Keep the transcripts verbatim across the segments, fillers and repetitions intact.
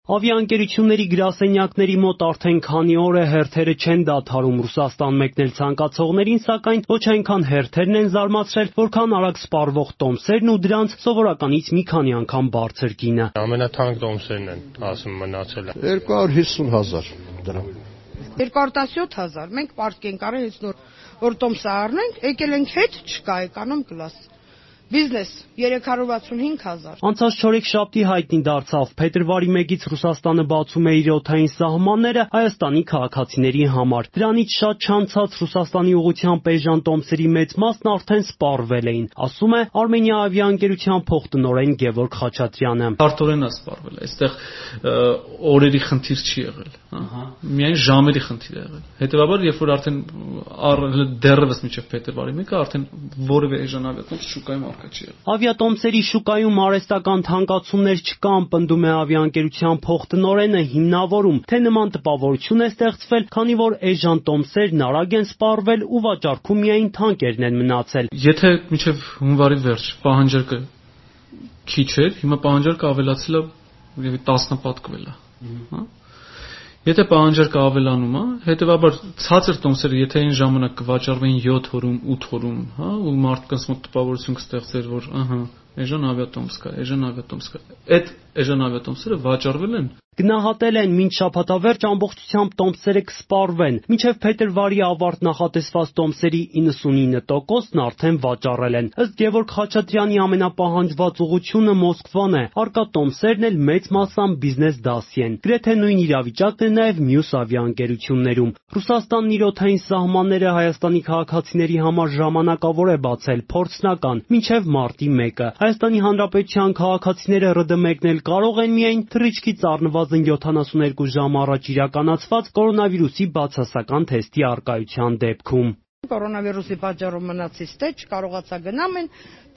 Ավիաընկերությունների գրասենյակների մոտ արդեն քանի օր է հերթերը չեն դադարում Ռուսաստան մեկնել ցանկացողներին, սակայն ոչ այնքան հերթերն են զարմացրել, որքան արագ սպառվող տոմսերն ու դրանց սովորականից մի քանի անգամ բարձր գինը։ Ամենաթանկ տոմսերն են, ասում մնացել է։ երկու հարյուր հիսուն հազար դրամ։ երկու հարյուր տասնյոթ հազար։ Մենք պարտք ենք արել հենց նոր որ տոմսը առնենք, եկել ենք հետ, չկա էկոնոմ կլաս։ Բիզնես երեք հարյուր վաթսունհինգ հազար։ Անցած չորեքշաբթի հայտնի դարձավ փետրվարի մեկից Ռուսաստանը բացում է իր օդային սահմանները Հայաստանի քաղաքացիների համար։ Դրանից շատ չանցած Ռուսաստանի ուղղությամբ էժան տոմսերի մեծ մասն արդեն սպառվել էին, ասում է Armenia ավիաընկերության փոխտնօրեն Գևորգ Խաչատրյանը։ Արդորեն է սպառվել, այստեղ օրերի խնդիր չի եղել, ահա, միայն ժամերի խնդիր է եղել։ Հետևաբար, երբ որ արդեն դեռևս մինչև փետրվարի մեկը արդեն որևէ էժան ավիատոմս շուկայում Ավիատոմսերի շուկայում արհեստական թանկացումներ չկան, պնդում է ավիաընկերության փոխտնօրենը, հիմնավորում, թե նման տպավորություն է ստեղծվել, քանի որ էժան տոմսերն արագ են սպառվել ու վաճառքում միայն թանկերն են մնացել։ Եթե մինչև հունվարի վերջ պահանջարկը քիչ էր, հիմա պահանջարկը ավելացել է տասնապատկվել է, հա։ Եթե պահանջարկը ավելանում է, հետևաբար ցածր տոմսերը, եթե այն ժամանակ կվաճառվեին յոթ օրում, ութ օրում, հա, ու մարդկանց մոտ տպավորություն կստեղծեր, որ ահա, էժան ավիատոմս կա, էժան ավիատոմս կա։ Այդ էժան ավիատոմսերը վաճառվել են։ Գնահատել են մինչ շաբաթավերջ ամբողջությամբ տոմսերը կսպառվեն, մինչև փետրվարի ավարտ նախատեսված տոմսերի իննսունինը տոկոսն արդեն վաճառել են։ Ըստ Գևորգ Խաչատրյանի ամենապահանջված ուղղությունը Մոսկվան է, առկա տոմսերն էլ մեծ մասամբ բիզնես դասի են։ Գրեթե նույն իրավիճակն է նաև մյուս ավիաընկերություններում։ Ռուսաստանն իր օդային սահմանները Հայաստանի քաղաքացիների համար ժամանակավոր է բացել, փորձնական, մինչև մարտի մեկը։ Հայաստանի Հանրապետության քաղաքացիները ՌԴ մեկնել կարող են միայն թռիչքից առնվազն յոթանասունհինգ ժամ առաջ իրականացված կորոնավիրուսի բացասական թեստի առկայության դեպքում։ Կորոնավիրուսի պատճառով մնացից թե չկարողացա գնամ,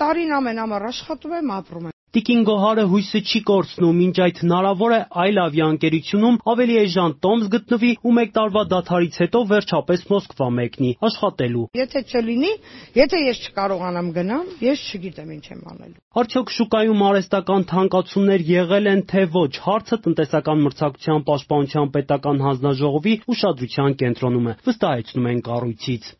տարին ամեն ամառ աշխատում եմ, ապրում եմ։ Տիկին Գոհարը հույսը չի կորցնում, մինչ այդ հնարավոր է այլ ավիաընկերությունում ավելի էժան տոմս գտնվի ու մեկ տարվա դադարից հետո վերջապես Մոսկվա մեկնի աշխատելու։ Եթե չլինի, եթե ես չկարողանամ գնամ, ես չգիտեմ ինչ եմ անելու։ Արդյոք շուկայում արհեստական թանկացումներ եղել են թե ոչ, հարցը տնտեսական մրցակցության պաշտպանության պետական հանձնաժողովի ուշադրության կենտրոնում է, վստահեցնում են կառույցից։